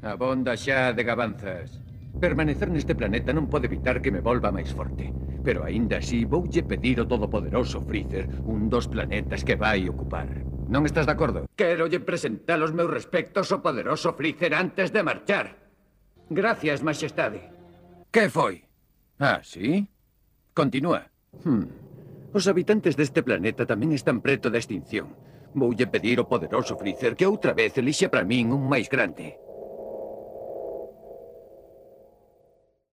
Abonda xa de gabanzas. Permanecer neste planeta non pode evitar que me volva máis forte. Pero aínda así voulle pedir ao todopoderoso Freezer un dos planetas que vai ocupar. Non estás de acordo? Quérolle presentar os meus respectos ao poderoso Freezer antes de marchar. Gracias, Majestade. Que foi? Ah, sí? Continúa. Os habitantes deste planeta tamén están preto da extinción. Voulle pedir ao poderoso Freezer que outra vez elixe para min un máis grande.